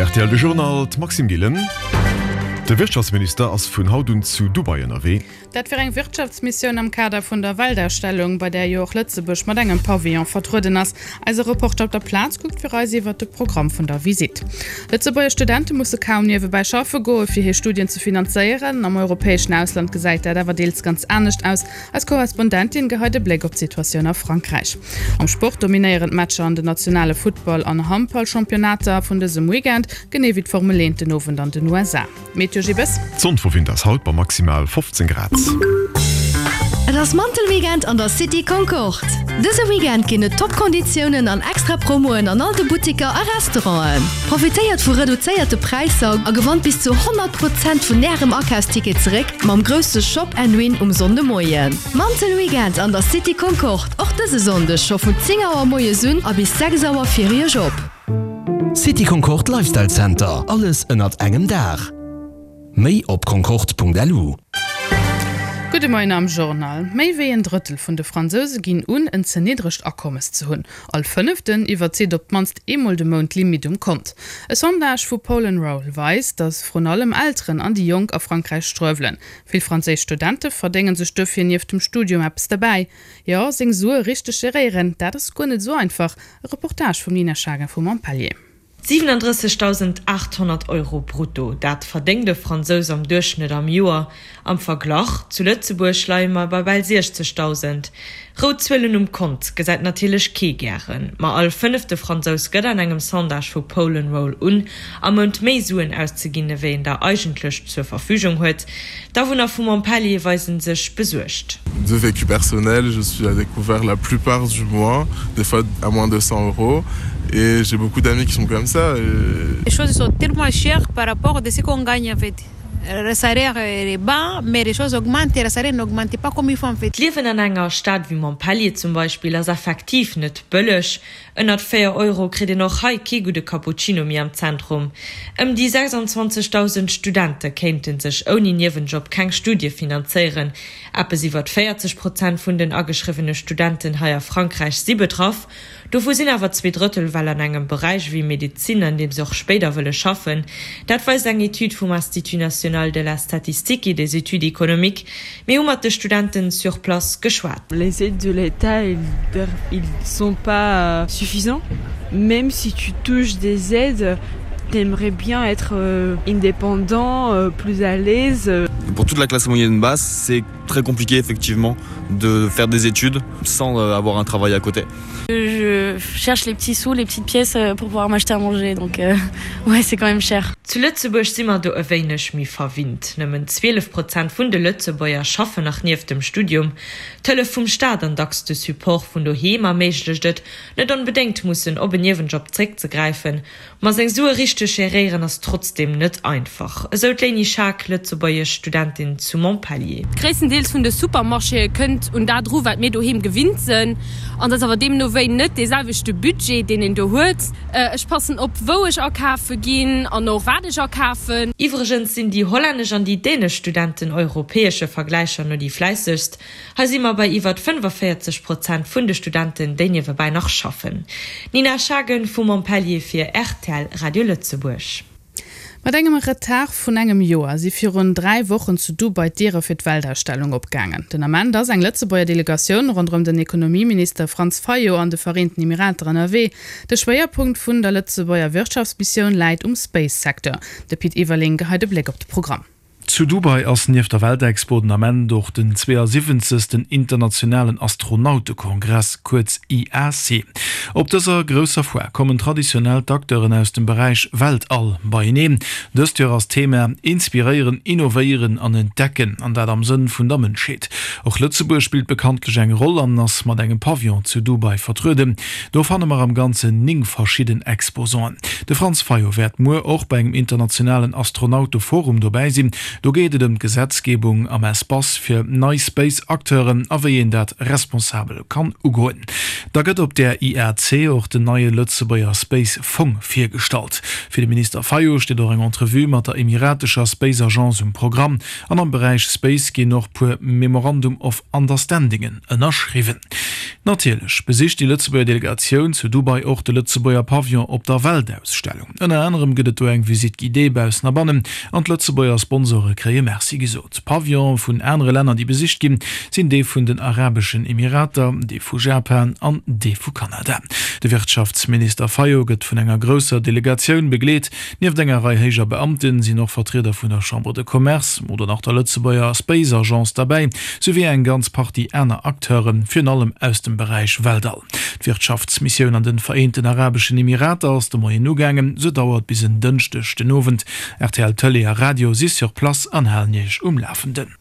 Rtl De Journal, d'Maxime Gillen. De Wirtschaftsminister ass vun haut un zu Dubai ënnerwee. Dat fir eng Wirtschaftsmissioun am Kader vun der Weltausstellung, bei där jo och Lëtzebuerg mat engem Pavillon vertrueden ass. Eise Reporter op der Plaz kuckt fir eis iwwert de Programm vun der Visitt. Lëtzebuerger Studente musse kaum niewebäi schaffe goe fir hir Studien ze finanzéieren. Am europäeschen Ausland gesäit dat awer deels ganz anescht aus. Eis Korrespondentin geheit e Bléck op d'Situatioun a Frankräich. Am Sport dominéieren d'Matcher an den nationale Futtball an Handballchampionnater vun dësem Weekend, genee wéi d'Formel 1 den Owend an den USA. Meteo Gibes. D'Sonn verwinnt ass haut bei maximal 15 Grad. Et ass Mantelweekend an der City Concorde! Dëse Weekend ginn et top Konditiounen an extra Promoen an all de Buttiker a Restauranten. Profitéiert vu reduzéierte Präisser a gewannt bis zu 100 Prozent vun Ärem Akafsticket zeréck mam grousse Shop and Win um Sonndemoien. Mantelweekend an der City Concorde och dëse Sonndeg scho vun 10 Auer moies un a bis 6 Auer fir Iech op. City Concorde Lifestyle Center, alles ënnert engem Daach. Méi op concorde.lu. Gudde Moien am Journal. Méi wéi en Drëttel vun de Fransouse ginn un, en ze niddregt Akommes ze hunn. All Fënneften iwwerzitt op d'mannst eemol de Mount d'Limitt um Kont. E Sondage vu Poll and Roll weist, datt vrun allem Elteren an déi Jonk a Frankräich struewelen. Vill franséisch Studente verdénge sech dofir nieft dem Studium eppes derbäi. Jo, seng Sue richteg geréieren, dat ass guer net esou einfach. E Reportage vum Nina Schagen vu Montpellier. 37.800 Euro brutto, dat verdéngt e Fransous am Duerchschnëtt am Joer. Am Verglach, zu Lëtzebuerg leie mer bei bal 60.000. Rout Zuelen um Kont gesäit natierlech kee gären, ma all fënnefte Fransous gëtt an engem Sondage vu Poll and Roll un, am Mount méi Suen auszeginn, ewéi en der eigentlech zur Verfügung huet. D'Awunner vu Montpellier weise sech besuergt. De vécu personnel, je suis à découvert la plupart du mois, des fois à moins de 100 euros et j'ai beaucoup d'amis qui sont comme ça et. Les choses sont tellement chères par rapport de ce qu'on gagne en fait. Le salaire est bas, mais les choses augmentent et le salaire n'augmente pas comme il faut en fait. D'Liewen an enger Stad wéi Montpellier zum Beispill ass effektiv net bëlleg. Ënnert 4 Euro kritt een och hei kee gudde Cappuccino méi am Zentrum. Ëm déi 26.000 Studente kéinte sech ouni Niewenjob keng Studie finanzéieren. Eppes iwwert 40 Prozent vun den ageschriwwene Studenten hei a Frankräich si betraff. Dovu sinn awer zweedrëttel well an engem Beräich ewéi Medezin, an deem se och spéider wëlle schaffen. Dat weist eng Etüd vum Institut national de la statistique et des études économiques. Mir hu mat de Studenten sur place geschwat. Les aides de l'État ils sont pas suffisants même si tu touches des aides t'aimerais bien être indépendant plus à l'aise. Pour toute la classe moyenne basse, c'est très compliqué effectivement de faire des études sans avoir un travail à côté. Je cherche les petits sous, les petites pièces pour pouvoir m'acheter à manger donc euh, ouais c'est quand même cher. Zu Lëtzebuerg si mer do e wéineg méi verwinnt. Nëmmen 12 Prozent vun de Lëtzebuerger schaffen nach nieft dem Studium. D'Hëllef vum Staat an dacks de Support vun doheem erméiglecht et, net onbedéngt mussen op en Niewenjob zréckzegräifen. Ma seng Sue richteg geréieren ass trotzdeem net einfach, esou d'Léini Schaack, lëtzebuergesch Studentin zu Montpellier. Gréisstendeels vun de Supermarchéë kënnt un dat eru wat mir doheem gewinnt sënn. An et ass awer deemno wéi net dee selwechte Budget, deen een do huet. Ech passen op wou ech akafe ginn an och wat ech akafen. Iwwregens sinn déi hollännesch an déi dänesch Studenten europäesche Vergläicher no déi fläissegst. Hei si mer bei iwwert 45 Prozent vun de Studenten, déi niewebäi nach schaffen. Nina Schagen vu Montpellier fir rtl Radio Lëtzebuerg. Mat engem Retard vun engem Joer si virun 3 Wochen zu Dubai d'Diere fir d'Weltausstellung opgaangen. Den Ament ass eng Lëtzebuerger Delegatioun ronderëm den Ekonomieminister Franz Fayot an de Vereenten Emirater ënnerwee. De Schwéierpunkt vun der Lëtzebuerger Wirtschaftsmissioun läit um Space-Secteur. De Pit Everling geheit e Bléck op de Programm. Zu Dubai ass nieft der Weltexpo den Ament och den 72. Internationalen Astronautekongress, kuerz IAC. Op dëser grousser Foire kommen traditionell d'Acteuren aus dem Beräich Weltall beieneen. Dëst Joer ass d'Thema Inspiréieren, innovéieren an entdecken, an dat am Sënn vun der Mënschheet. Och Lëtzebuerg spillt bekanntlech eng Roll an ass mat engem Pavillon zu Dubai vertrueden. Do fanne mer am Ganzen 9 verschidden Exposanten. De Franz Fayot wäert muer och bei engem internationalen Astronauteforum dobäi sinn. Do geet et ëm d'Gesetzgebung am Espace fir nei Space-Acteuren a wéi een dat responsabel kann ugoen. Da gëtt op där IAC. IAC och den neie Lëtzebuerger Space Fong virgestallt. Fir de Minister Fayot steet och eng Entrevue mat der emiratescher Space Agence um Programm. An am Beräich Space ginn och puer Memorandum of Understandingen ënnerschriwwen. Natierlech besicht déi Lëtzebuerger Delegatioun zu Dubai och de Lëtzebuerger Pavillon op der Weltausstellung. Ënner anerem gëtt et do eng Visite guidée baussen a bannen an d'Lëtzebuerger Sponsore kréie Merci gesot. Pavillone vun anere Länner déi besicht ginn, sinn dee vun den Arabeschen Emirater, dee vu Japan an dee vu Kanada. De Wirtschaftsminister Fayot gëtt vun enger grousser Delegatioun begleet. Nieft enger Rei héijer Beamten sinn och Vertrieder vun der Chambre de Commerce oder nach der Lëtzebuerger Space Agence derbäi, souwéi eng ganz Partie aner Acteuren, virun allem aus dem Beräich Weltall. D'Wirtschaftsmissioun an de Vereenten Arabeschen Emirater ass de Moien ugaangen. Se dauert bis en Dënschdeg den Owend. Rtl Tëlee a Radio si sur place an halen Iech um Lafenden.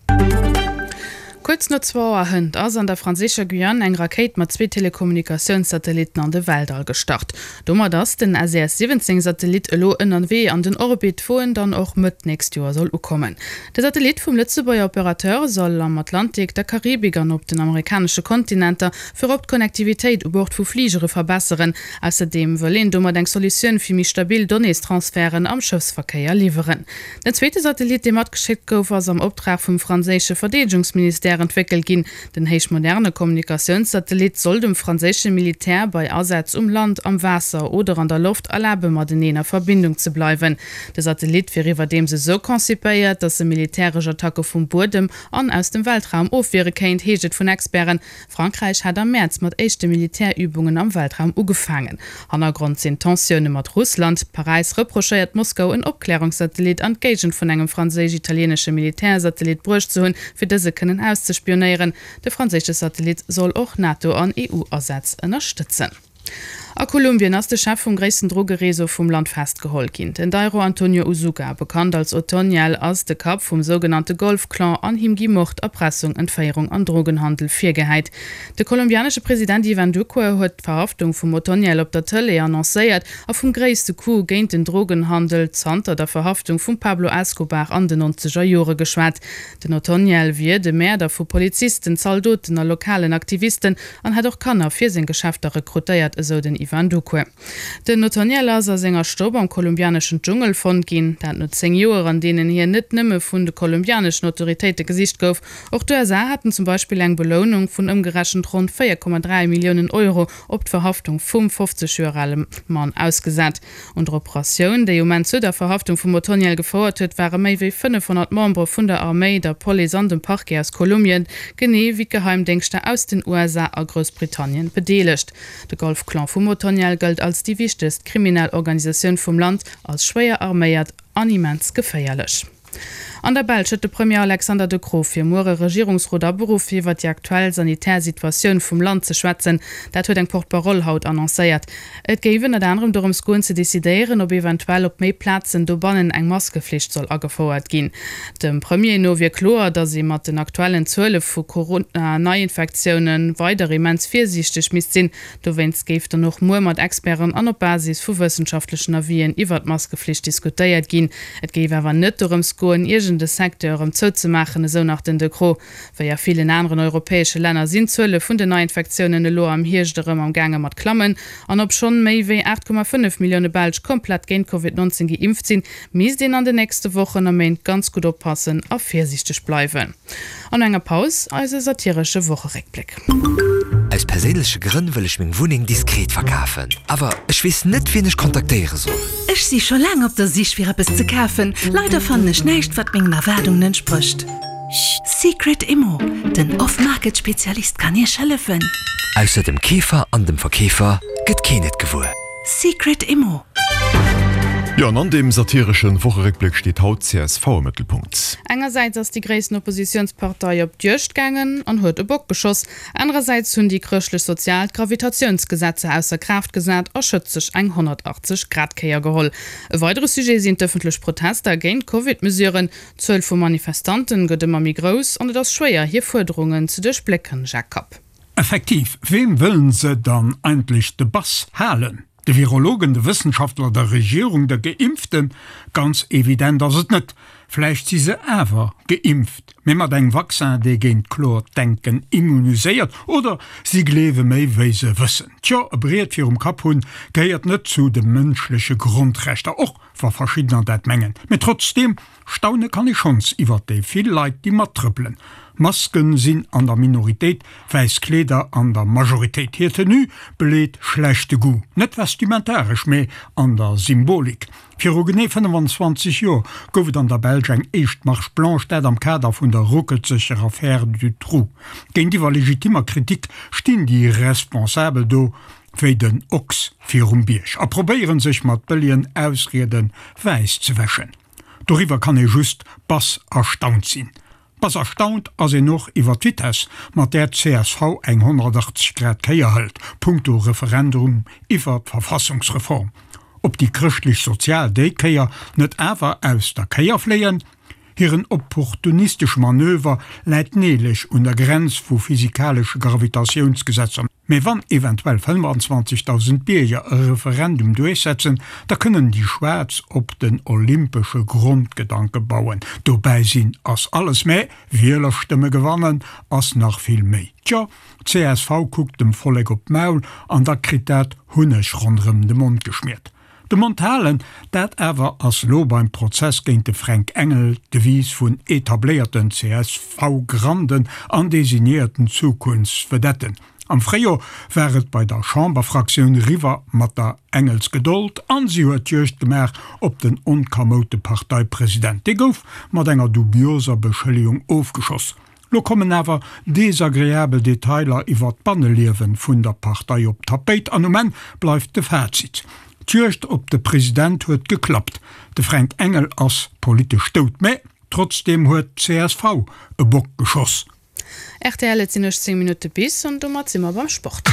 Kuerz no zwou Auer hënt ass an der franséischer Guyane eng Rakéit mat zwee Telekommunikatiounssatellitten an de Weltall gestart. Domat ass den SES 17 Satellit elo ënnerwee an den Orbit, wou en dann och Mëtt d'nächst Joer soll ukommen. De Satellit vum Lëtzebuerger Operateur soll am Atlantik, der Karibik an op den amerikanesche Kontinenter virop d'Connectivitéit u Bord vu Fligere verbesseren. Ausserdeem wëll een domat eng Solutioun fir méi stabil Donnéestransferten am Schëffsverkéier liwweren. Den zweete Satellit, dee matgeschéckt gouf, ass am Optrag vum franséische Verdeedegungsministère entwéckelt ginn. Den héichmoderne Kommunikatiounssatellit soll dem franséische Militär bei Asätz um Land, am Waasser oder an der Loft erlabe mateneen a Verbindung ze bleiwen. De Satellit wier iwwerdeems esou konzipéiert, datt e militäresch Attacke vum Buedem an aus dem Weltraum ofwiere kéint, heescht et vun Experten. Frankräich hat am Mäerz mat éischte Militärübungen am Weltraum ugefaangen. Hannergrond sinn d'Tensioune mat Russland. Paräis reprochéiert Moskau, en Opklärungssatellit an d'Géigend vun engem franséisch-italieenesche Militärsatellit bruecht ze hunn, fir dëse kënnen auszespionéieren. De franséische Satellit soll och NATO an EU-Asätz ënnerstëtzen. A Kolumbien ass de Chef vum gréissten Drogereseau vum Land festgeholl ginn. Den Dairo Antonio Usuga, bekannt als Otoniel, ass de Kapp vum sougenannte Golf-Clan an him gi Mord, Erpressung, Entféierung an Drogenhandel virgehäit. De kolumbianesche President Ivan Duque huet d'Verhaftung vum Otoniel op der Tëlee annoncéiert a vum gréisste Coup géint den Drogenhandel zanter der Verhaftung vum Pablo Escobar an den nonzeger Jore geschwat. Den Otoniel wier de Mäerder vu Polizisten, Zaldoten a lokalen Aktivisten an hätt och Kanner fir seng Geschäfter rekrutéiert, esou den Ivan Duque. Den Otoniel ass a senger Stopp am kolumbianeschen Dschungel fonnt ginn, dat no 10 Joer, an deenen hien net nëmme vun de kolumbianeschen Autoritéite gesicht gouf. Och d'USA haten zum Beispill eng Belounung vun ëmgerechent ronn 4,3 Milliounen Euro op d'Verhaftung vum 50 Joer ale Mann ausgesat. Un der Operatioun, déi um Enn zu der Verhaftung vum Otoniel gefouert huet, ware méi wéi 500 Membere vun der Arméi, der Police an dem Parquet aus Kolumbien, genee wéi d'Geheimdéngschter aus den USA a Groussbritannien bedeelegt. De Golf-Clan vum Otoniel gëllt als déi wichtegst kriminell Organisatioun vum Land, als schwéier arméiert an immens geféierlech. An der Belsch huet de Premier Alexander De Croo fir muer e Regierungsrot aberuff, fir iwwer déi aktuell sanitär Situatioun vum Land ze schwätzen. Dat huet eng Porte-parole haut annoncéiert. Et géif ënnert anerem dorëms goen, ze decidéieren, ob eventuell op méi Plazen dobannen eng Maskeflicht soll agefouert ginn. Dem Premier no wier kloer, datt ee mat den aktuellen Zuele vu Corona-Neiinfektioune weider immens virsiichteg misst sinn. Dowéinst géif dann och muer mat Experten an op Basis vu wëssenschaftlechen Avisen iwwer d'Maskeflicht diskutéiert ginn. Et géif awer net dorëms goen, iergend e Secteur erëm zouzemaachen, esou nach den De Croo. Wéi a villen aneren europäesche Länner sinn d'Zuele vun den Neiinfektiounen elo am Hierscht erëm am gaange mat klammen. An obschonn méi wéi 8,5 Millioune Belsch komplett géint Covid 19 geimpft sinn, misst een an den nächste Wochen a Méint ganz gutt oppassen a virsiichteg bleiwen. An no enger Paus eise satiresche Wocheréckbléck. Aus perséinleche Grënn wëll ech meng Wunneng diskret verkafen, awer ech weess net wien ech kontaktéiere soll. Ech si scho laang op der Sich fir eppes ze kafen, leider fannen ech näischt wat mengen Erwaardungen entsprécht. Secret Immo, den Off-Market Spezialist kann Iech hëllefen. Ausser dem Keefer an dem Verkeefer gëtt keen et gewuer. Secret Immo. Jo, an an deem satireschen Wocheréckbléck steet haut csv am Mëttelpunkt. Engersäits ass déi gréissten Oppositiounspartei op d'Juegd gaangen an huet e Bock geschoss, anerersäits hunn déi chrëschtlech-sozial d'Gravitatiounsgesetzer ausser Kraaft gesat a schëtzeg eng 180 Grad Kéier geholl. E weidere Sujet sinn d'ëffentlech Protester géint d'Covid-Mesuren. D'Zuel vu Manifestanten gëtt ëmmer méi grouss an et ass schwéier hir Fuerderungen ze duerchblécken. Jacques Kapp. Effektiv, weem wëllen se dann eigentlech de Bass halen? De Virologen, de Wëssenschaftler, der Regierung, de Geimpften? Ganz evident ass et net. Vläicht si se awer geimpft, mee mat engem Vaccin, dee géint kloert Denken immuniséiert, oder si gleewe méi wéi se wëssen. Tjo, e Briet virum Kapp hunn gehéiert net zu de mënschleche Grondrechter, och wa verschiddener dat mengen. Mee trotzdeem, staune kann ee schonns iwwert déi vill Leit, déi mattrëppelen. Masken sinn an der Minoritéit, wäiss Kleeder an der Majoritéit. Hir Tenue beleet schlechte Goût, net vestimentaresch, mee an der Symbolik. Viru genee 25 Joer gouf et an der Belsch eng éischt Marche blanche, dat am Kader vun der ruckelzeger Affaire Dutroux. Géintiwwer legitimmer Kritik stinn déi Responsabel do wéi den Ochs virum Bierg a probéieren sech mat bëllegen Ausriede wäiss ze wäschen. Doriwwer kann ee just bass erstaunt sinn. Bass erstaunt ass een och iwwer d'Vitess, mat där d'CSV eng 180 Grad Kéier hëlt, punkto Referendum iwwer d'Verfassungsreform. Ob déi chrëschtlech-sozial déi Kéier net awer aus der Kéier fléien? Hiren opportunistesche Manöver läit neelech un der Grenz vu physikalesche Gravitatiounsgesetzer. Mee wann eventuell 25.000 Bierger e Referendum duerchsetzen, da kënnen déi Schwaarz op den olympesche Grondgedanke bauen. Dobäi sinn ass alles, mä Wielerstëmme gewannen ass nach vill méi. Tjo, csv kuckt dem Vollek op d'Maul an da kritt dat Hunneg ronderëm de Mond geschmiert. De Mond halen, dat awer ass lo beim Prozess géint de Fränk Engel d'Devise vun etabléierten CSV-Granden an designéierten Zukunftsvedetten. Am Fréijor war et bei der Chamberfraktioun riwwer mat der Engelsgedold an si huet d'Juegd gemaach op den onkamoute Parteipresident. Dee gouf mat enger dubioser Beschëllegung ofgeschoss. Lo kommen awer desagreabel Detailer iwwer d'Banneliewen vun der Partei op d'Tapéit an um Enn bleift de Fazit, D'Juegd op de President huet geklappt, de Fränk Engel ass politesch dout, mä trotzdeem huet d'CSV e Bock geschoss. Rtl, Et sinn 18 Minutte bis an domat si mer beim Sport.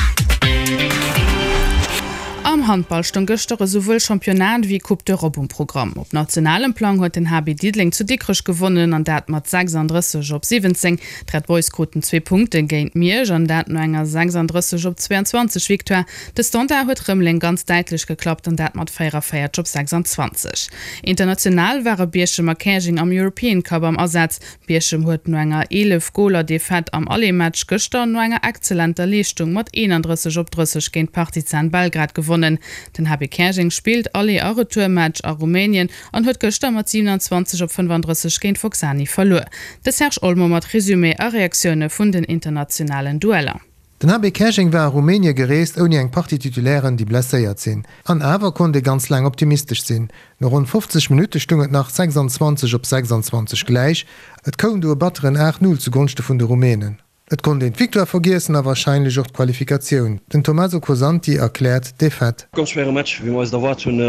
Am Handball stoung gëschter esouwuel Championnat ewéi Coupe d'Europe um Programm. Op nationalem Plang huet den HB Diddeleng zu Dikrech gewonnen an dat mat 36 op 17. D'Red Boys kruten zwee Punkte géint Miersch an dat no enger 36 op 22 Victoire. De Standard huet Rëmeleng ganz däitlech geklappt an dat mat 44 op 26. International ware Bierchem a Käerjeng am European Cup am Asaz. Bierchem huet no enger 11 Goler Defaite am Aller-Match gëschter no enger exzellenter Leeschtung mat 31 op 30 géint Partizan Belgrad gewonnen. Den HB Käerjeng spillt Aller a Retourmatch a Rumänien an huet gëschter mat 27 op 35 géint Focsani verluer. De Serge Olmo mat Resumé a Reaktioune vun den internationalen Dueller. Den HB Käerjeng war a Rumänie gereest ouni eng Partie Titulairen, déi blesséiert sinn. An awer konnt ee ganz laang optimistesch sinn. No ronn 50 Minutte stung et nach 26 op 26 gläich. Et koum du e batteren 8, 0 zu Gonschte vun de Rumänen. Et konnt een d'Victoire vergiessen a warscheinlech och d'Qualifikatioun. Den Tommaso Cosanti erkläert d'Defaite. Ganz schwéiere Match, wéi mer eis et erwaart hunn,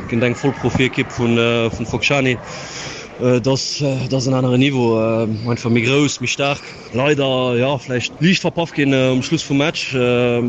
géint eng Vollprofiekipp vu Focșani. Et ass en aneren Niveau, einfach méi grouss, méi staark. Leider jo vläicht liicht verpaff ginn um Schluss vum Match. E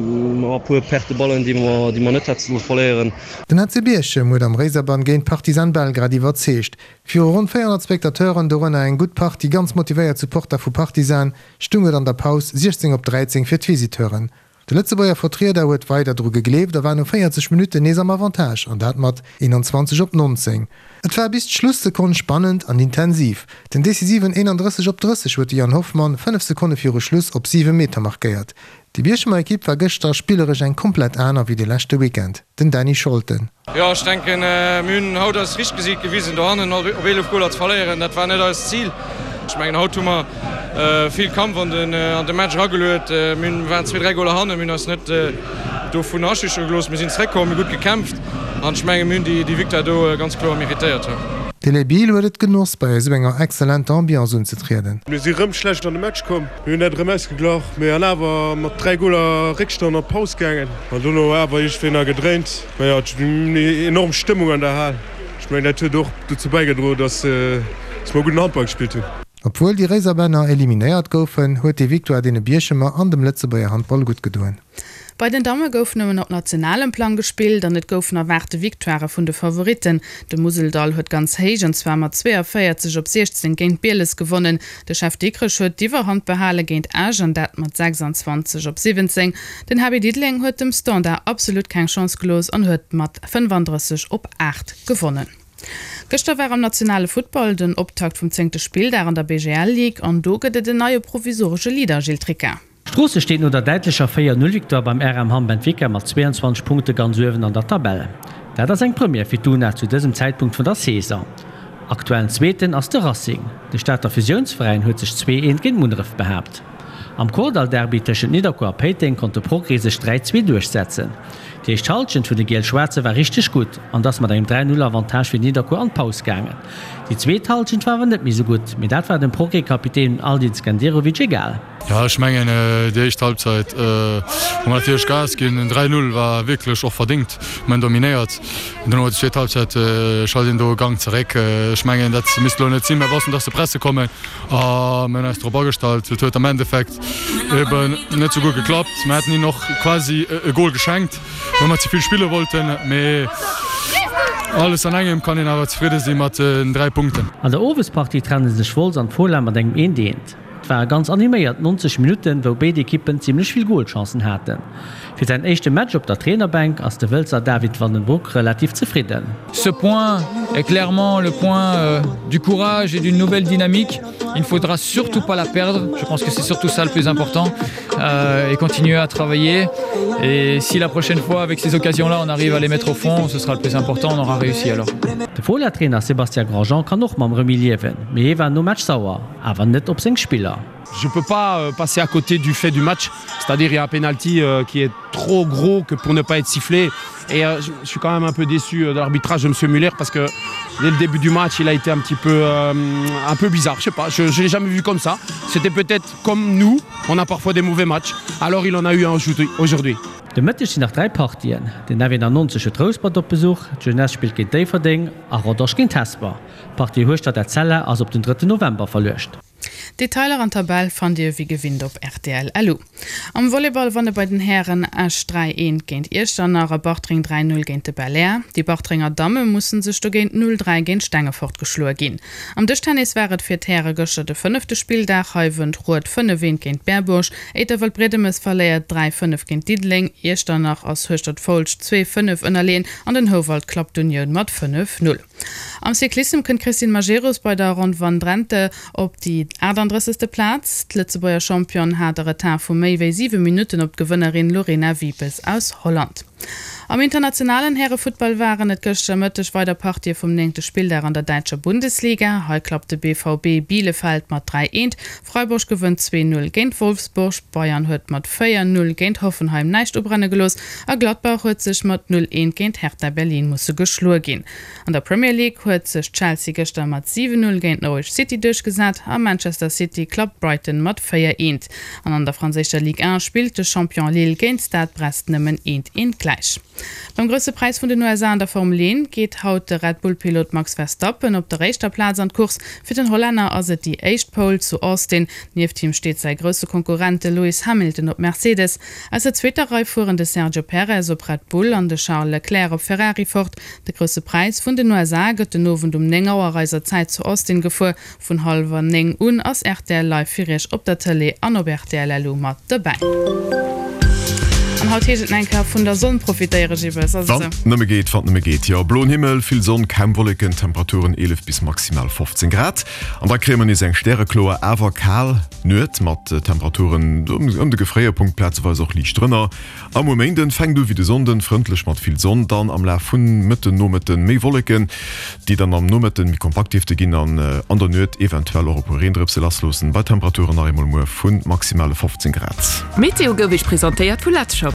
puer Perte de Ballen déi mer déi mer net hätte solle verléieren. Den HC Bierchem huet am Réiserbann géint Partizan Belgrad iwwerzeegt. Viru ronn 400 Spectateuren, dorënner eng gutt Partie ganz motivéiert Supporter vu Partizan, stung et an der Paus 16 op 13 fir d'Visiteuren. De Lëtzebuerger Vertrieder huet weider dru gegleeft a war no 40 Minutten nees am Avantage an dat mat 21 op 19. Et war bis d'Schlussekonn spannend an intensiv. Den decisiven 31 op 30 huet de Yann Hoffmann 5 Sekonne viru Schluss op 7 Meter markéiert. Déi Bierchemer Ekipp war gëschter spilleresch eng komplett aner wéi de leschte Weekend. Den Dany Scholten. Jo, ech denken, mir hunn haut eist richtegt Gesiit gewisen. Dohannen op 11 Goler ze verléieren, dat war net eist Zil. Ech mengen, haut hu mer vill Kampf an de Match erageluet. Mir waren zwee, dräi Goler hannen, mir hunn eis net dovun aschüchtere gelooss. Mir sinn zeréckkomm, mir hu gutt gekämpft an ech mengen, mir hunn déi Victoire do ganz kloer meritéiert. De Les Bill huet et genoss, bei esou enger exzellenter Ambiance unzetrieden. Mir si rëm schlecht an de Match komm. Mir hunn dat erëm ausgeglach, mee an awer mat 3 Goler Réckstand an d'Paus gaangen. An dono awer iergendwéi nach gedréint. Mä jo, et war enorm Stëmmung an der Hal. Ech mengen, dat huet och dozou bäigedroen, dass mer gudden Handball gespillt hunn. Obwuel déi Réiserbänner eliminéiert goufen, huet déi Victoire deene Bierchemer an dem Lëtzebuerger Handball gutt gedoen. Bei den Damme gouf nëmmen op nationalem Plang gespillt an et goufen erwaarte Victoirë vun de Favoritten. De Museldall huet ganz héich an zwar mat 42 op 16 géint Bieles gewonnen. De Chef Dikrech huet d'Iwwerhand behale géint Esch an dat mat 26 op 17. Den HB Diddeleng huet dem Standard absolut keng Chance gelooss an huet mat 35 op 8 gewonnen. Gëschter war am nationale Futtball den Optakt vum zéngte Spilldag an der BGL Ligue an do gëtt et en neie provisoresche Leader, Gilles Tricca. Stroosse steet no der däitlecher 4, 0 Victoire beim RM Hamm Benfica mat 22 Punkte ganz uewen an der Tabell. Dat ass eng Première fir d'UNA zu dësem Zäitpunkt vun der Saison. Aktuellen Zweeten ass de Racing. De Stater Fusiounsveräin huet sech 2, 1 géint Munneref behaapt. Am Kordall-Derby tëschent Nidderkuer a Péiteng konnt de Progrès sech 3, 2 duerchsetzen. Déi éischt Hallschent vun de Giel-Schwaarze war richteg gutt an ass mat engem 3, 0 Avantage fir Nidderkuer an d'Paus gaangen. Déi zweet Hallschent war awer net méi sou gutt, mee dat war dem Progrès-Kapitän Aldin Skenderovic egal. Jo, ech mengen déi éischt Halbzeit hu mer natierlech Gas ginn. Den 3, 0 war wierklech och verdéngt, mir hunn dominéiert. Duerno déi zweet Halbzeit schalt een do e Gang zeréck. Ech mengen dat misst elo net sinn. Mir wossten, dass se presse kommen a mir hunn eis drop agestallt. Et huet am Endeffekt eben net sou gutt geklappt. Mir hätten hinnen och quasi e Gol geschenkt, well mer ze vill spille wollten. Mee alles an engem kann een awer zefridde si mat den 3 Punkten. An der Owespartie trenne sech Wolz an d'Fola mat engem eent eent. Et ware ganz animéiert 90 Minutten, wou béid Ekippen zimmlech vill Golchancen haten. Fir säin éischte Match op der Trainerbänk ass de Wëlzer David van den Broek relativ zefridden. Ce point est clairement le point du courage et d'une nouvelle dynamique. Il ne faudra surtout pas la perdre. Je pense que c'est surtout ça le plus important euh, et continuer à travailler. Et si la prochaine fois avec ces occasions-là on arrive à les mettre au fond, ce sera le plus important, on aura réussi alors. De Fola-Trainer Sébastien Grandjean kann och mam Remis liewen, mee hie war nom Match sauer, awer net op seng Spiller. Je peux pas euh, passer à côté du fait du match, c'est-à-dire il y a un penalty euh, qui est trop gros que pour ne pas être sifflé et euh, je suis quand même un peu déçu euh, de l'arbitrage de monsieur Muller parce que dès le début du match il a été un petit peu euh, un peu bizarre je sais pas je, je l'ai jamais vu comme ça c'était peut-être comme nous on a parfois des mauvais matchs alors il en a eu un aujourd'hui. De Mëtteg sinn nach 3 Partien, Den F91 huet Rouspert op Besuch, d'Jeunesse spillt géint Déifferdeng a Rodange géint Hesper. D'Partie Hueschtert-Etzella ass op den 3 November verluecht. Detailer an Tabell fannt dir wéi gewinnt op rtl.lu. Am Volleyball wanne bei den Hären Esch 3, 1 géint Iechternach a Bartreng 3, 0 géint de Belair. Déi Bartrenger Damme musse sech dogéint 0, 3 géint Stengefort geschloe ginn. Am Dëschtennis war et fir d'Häre gëschter de fënnefte Spilldag. Hei wënnt Rued 5, 1 géint Berbuerg, Éiterwëld-Briedemes verléiert 3, 5 géint Diddeleng, Iechternach ass Hueschtert-Foulscht 2, 5 ënnerleeën an den Houwald klappt d'Unioun mat 5, 0. Am Cyclissem kënnt d'Christine Majerus bei der Ronn van Drenthe op déi 38. Plaz. D'Lëtzebuerger Championne hat e Retard vu méi wéi 7 Minutten op d'Gewënnerin Lorena Wiebes aus Holland. Am internationalen Härefuttball waren et gëschter Mëtteg weider Partië vum néngte Spilldag an der däitscher Bundesliga. Hei klappt de BVB Bielefeld mat 3, 1, Freiburg gewënnt 2, 0 géint Wolfsburg, Bayern huet mat 4, 0 géint Hoffenheim näischt ubrenne gelooss a Gladbach huet sech mat 0, 1 géint Hertha Berlin musse geschloe ginn. An der Premier League huet sech Chelsea gëschter mat 7, 0 géint Norwich City duerchgesat a Manchester City klappt Brighton mat 4, 1. An an der franséischer Ligue 1 spillt de Champion Lille géint Stade Brest nëmmen 1, 1 gläich. Beim Grousse Präis vun den USA an der Formel 1 geet haut de Red Bull-Pilot Max Verstappen op der éischter Plaz an d'Course. Fir den Hollänner ass et déi éischt Pole zu Austin. Nieft him steet säi grousse Konkurrent de Lewis Hamilton op Mercedes. Aus der zweeter Rei fueren de Sergio Perez op Red Bull an de Charles Leclerc op Ferrari fort. De Grousse Präis vun den USA gëtt den Owend um 9 Auer eiser Zäit zu Austin gefuer. Vun hallwer 9 un ass rtl Live fir iech op der Tëlee an op rtl LU mat dobäi. An haut heescht et nach eng Kéier vun der Sonn profitéiere, Gibbes, ass et Wann esou? nëmme geet, wann nëmme geet, jo. Bloen Himmel, vill Sonn, kaum Wolleken, Temperaturen 11 bis maximal 15 Grad. An da kréie mer nees eng stärekloer, awer kal Nuet mat Temperaturen ëm de Gefréierpunkt, plazeweis och liicht drënner. A muer Méinden fänkt u wéi de Sonnden, frëndlech mat vill Sonn, dann am Laf vun Mëtten Nomëtten méi Wolleken, déi dann am Nomëtten méi kompakt dierfte ginn an an der Nuet eventuell och e puer Reendrëpse lassloossen, bei Temperaturen nach eemol muer vu maximale 15 Grad. D'Meteo gouf Iech presentéiert vu Letzshop.